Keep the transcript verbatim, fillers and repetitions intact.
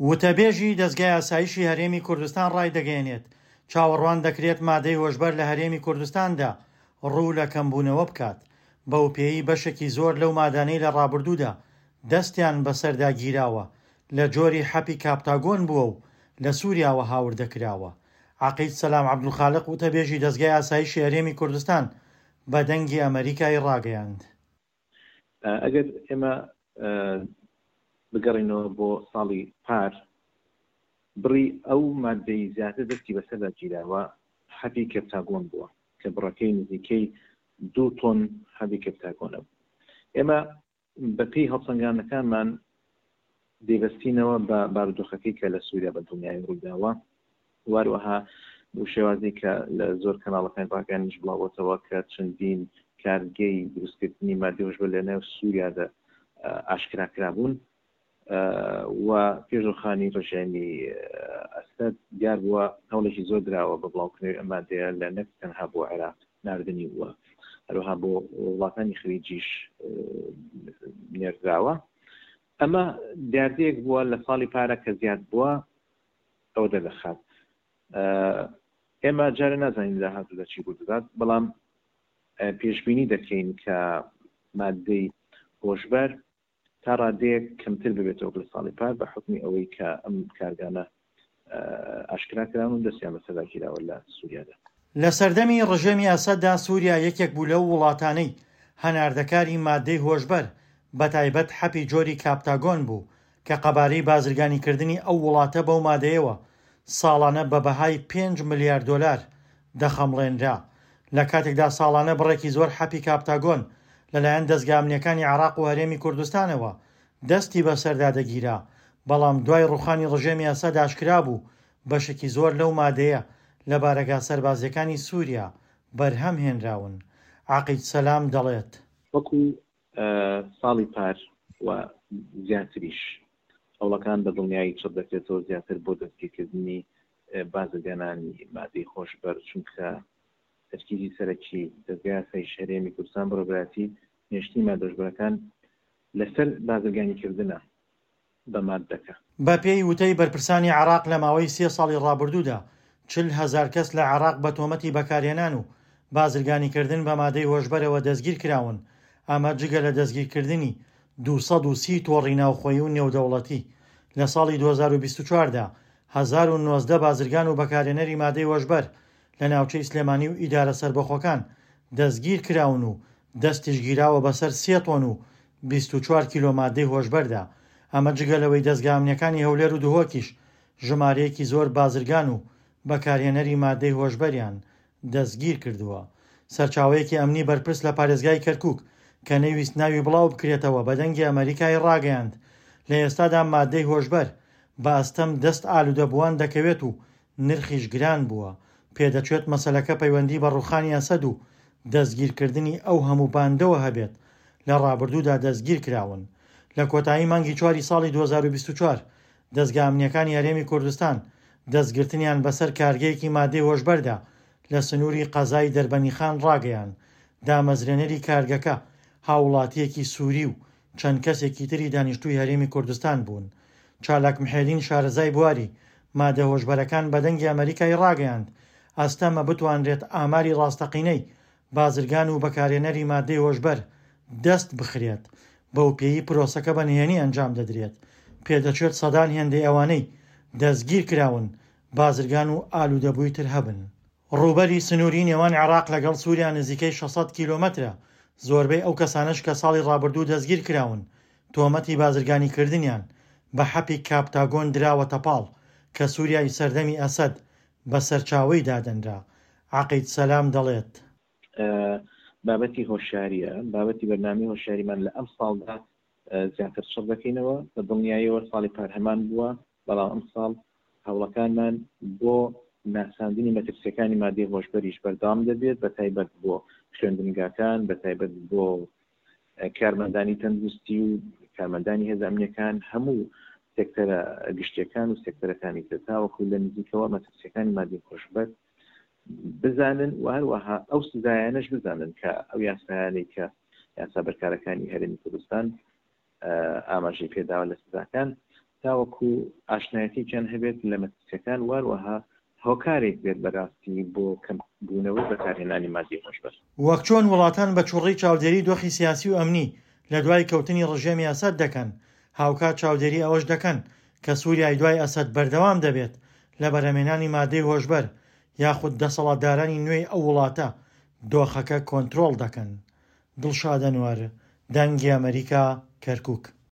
وتەبێژی دەزگای ئاسایشی هەرێمی کوردستان ڕایدەگەیەنێت، چاوەڕوان دەکرێت مادەی هۆشبەر لە هەرێمی کوردستاندا ڕوو لە کەمبوونەوە بکات، بەوپێیەی بەشێکی زۆر لەو مادانەی لە ڕابردوودا دەستیان بەسەردا گیراوە لە جۆری حەپی کاپتاگۆن بووە و لە سوریاوە هاوردە کراوە. عەقید سەلام عەبدولخالق وتەبێژی دەزگای ئاسایشی هەرێمی کوردستان بە دەنگی ئەمەریکای ڕاگەیاند. ئەگەر ئێمە بگەڕێینەوە بۆ ساڵی پار، بڕی ئەو ماددەی زیاتر دەستی بەسەردا گیراوە حەبی کەپتاگۆن بووە کە بڕەکەی نزیکەی دوو تۆن حەبی کەپتاگۆنە. ئێمە بەپێی هەڵسەنگاندنەکانمان دەیبەستینەوە بە بارودۆخەکەی کە لە سووریا بە دڵنیایی ڕوویداوە، واروەها بۆ شێوازی کە لە زۆر کەناڵەکانی ڕاگەیاندنیش بڵاوبۆتەوە کە چەندین کارگەی دروستکردنی ماددەی هۆشبەر لە نێو سووریادا ئاشکرا کرابوون و پێش ڕووخانی ڕژێمی ئەسەد دیار بووە هەوڵێکی زۆر دراوە بە بڵاوکردنەوەی ئەم مادەیە لە نەک تەنها بۆ عێراق ناردنی بووە، هەروەها بۆ وڵاتانی خلیجیش نێردراوە. ئەمە دیاردەیەک بووە لە ساڵی پارە کە زیاد بووە ئەوە دەردەخات. ئێمە جارێ نازانین داهاتوودا چی ڕوو دەدات، بەڵام پێشبینی دەکەین کە مادەی هۆشبەر تا ڕادەیەک کەمتر ببێتەوە لە ساڵی پار بە حوکمی ئەوەی کە ئەم کارگانە ئاشکرا کراون و دەستیان بەسەردا گیراوە لە سووریادا. لە سەردەمی ڕژێمی ئەسەددا سووریا یەکێک بوو لەو وڵاتانەی هەناردەکاری مادەی هۆشبەر بەتایبەت حەپی جۆری کاپتاگۆن بوو کە قەبارەی بازرگانیکردنی ئەو وڵاتە بەو مادەیەوە ساڵانە بە بەهای پێنج ملیار دۆلار دەخەمڵێنرا. لە کاتێکدا ساڵانە بڕێکی زۆر حەپی کاپتاگۆن لەلایەن دەزگا ئەمنییەکانی عێراق و هەرێمی کوردستانەوە دەستی بەسەردا دەگیرا، بەڵام دوای ڕوخانی ڕژێمی ئەسەد ئاشکرا بوو بەشێکی زۆر لەو مادەیە لە بارەگا سەربازییەکانی سووریا بەرهەم هێنراون. عەقید سەلام دەڵێت. وەکو ساڵی پار و زیاتریش هەوڵەکان بە دڵنیایی چڕ دەکرێتەوە زیاتر بۆ دەستگیرکردنی بازرگانانی مادەی هۆشبەر، چونکە تەرکیزی سەرەکی دەزگای ئاسایش هەرێمی کوردستان بەڕێوەبەرایەتی نێشتنی مادە هۆشبەرەکان لەسەر بازرگانیکردنە بە ماددەکە. بەپێی وتەی بەرپرسانی عێراق لە ماوەی سێ ساڵی ڕابردوودا چل هەزار کەس لە عێراق بە تۆمەتی بەکارهێنان و بازرگانیکردن بە مادەی هۆشبەرەوە دەستگیرکراون، ئەمە جگە لە دەستگیرکردنی دوو سەد و سی تۆڕی ناوخۆیی و نێودەوڵەتی. لە ساڵی دوو هەزار و بیست و چوار دا هەزار و نۆزدە بازرگان و بەکارهێنەری مادەی هۆشبەر لە ناوچەی سلێمانی و ئیدارە سەربەخۆکان دەستگیرکراون و دەستیش گیراوە بەسەر سێ تۆن و بیست و چوار کیلۆ مادەی هۆشبەردا، ئەمە جگە لەوەی دەزگا ئەمنییەکانی هەولێر و دهۆکیش ژمارەیەکی زۆر بازرگان و بەکارهێنەری مادەی هۆشبەریان دەستگیرکردووە. سەرچاوەیەکی ئەمنی بەرپرس لە پارێزگای کەرکوک کە نەیویست ناوی بڵاو بکرێتەوە بە دەنگی ئەمەریکای ڕاگەیاند، لە ئێستادا مادەی هۆشبەر بە ئەستەم دەست ئالودەبووان دەکەوێت و نرخیش گران بووە، پێدەچێت مەسەلەکە پەیوەندی بە ڕوخانی ئەسەد و دەستگیرکردنی ئەو هەموو باندەوە هەبێت لە ڕابردوودا دەستگیرکراون. لە کۆتایی مانگی چواری ساڵی دوو هەزار و بیست و چوار دەزگا ئەمنییەکانی هەرێمی کوردستان دەستگرتنیان بەسەر کارگەیەکی مادەی هۆشبەردا لە سنووری قەزای دەربەنیخان ڕاگەیاند، دامەزرێنەری کارگەکە هاووڵاتییەکی سووری و چەند کەسێکی تری دانیشتووی هەرێمی کوردستان بوون. چالاک محێدین شارەزای بواری مادە هۆشبەرەکان بە دەنگی ئەمەریکای ڕاگەیاند، ئەستەمە بتوانرێت ئاماری ڕاستەقینەی بازرگان و بەکارهێنەری مادەی هۆشبەر دەست بخرێت، بەوپێیەی پرۆسەکە بە نهێنی ئەنجام دەدرێت، پێدەچێت سەدان هێندەی ئەوانەی دەستگیرکراون بازرگان و ئالوودەبووی تر هەبن. ڕووبەری سنووری نێوان عێراق لەگەڵ سووریا نزیکەی شەش سەد کیلۆمەترە، زۆربەی ئەو کەسانەش کە ساڵی ڕابردوو دەستگیرکراون تۆمەتی بازرگانیکردنیان بە حەپی کاپتاگۆن دراوەتە پاڵ کە سووریای سەردەمی ئەسەد بە سەرچاوەی دادەنرا. عەقید سەلام دەڵێت. بابەتی هۆشیارییە، بابەتی بەرنامەی هۆشیاریمان لە ئەمساڵدا زیاتر چڕ دەکەینەوە، بە دڵنیاییەوە ساڵی پار هەمان بووە، بەڵام ئەمساڵ هەوڵەکانمان بۆ ناساندنی مەترسیەکانی مادەی هۆشبەریش بەردەوام دەبێت، بە تایبەت بۆ خوێندنگاکان، بە تایبەت بۆ کارمەندانی تەندروستی و کارمەندانی هێزە ئەمنیەکان، هەموو سێکتەرە گشتیەکان و سێکتەرەکانی تر، تاوەکو لە نزیکەوە مەترسیەکانی مادەی هۆشبەر بزانن و هەروەها ئەو سزایانەش بزانن کە ئەو یاسایانەی کە یاسا بەرکارەکانی هەرێمی کوردستان ئاماژەی پێداوە لە سزاکان تاوەکو ئاشنایەتێکیان هەبێت لە مەترسیەکان واروەها هۆکارێک بێت بەراستی بۆ کەمبوونەوەی بەکارهێنانی مادەی هۆشبەر. وەک چۆن وڵاتان بە چوڕی چاودێری دۆخی سیاسی و ئەمنی لە دوای کەوتنی ڕژێمی ئەسەد دەکەن، هاوکات چاودێری ئەوەش دەکەن کە سووریای دوای ئەسەد بەردەوام دەبێت لە بەرهەمهێنانی مادەی هۆشبەر یاخود دەسەڵاتدارانی نوێی ئەو وڵاتە دۆخەکە کۆنترۆڵ دەکەن. دڵشاد ئەنوەر، دەنگی ئەمەریکا، کەرکوک.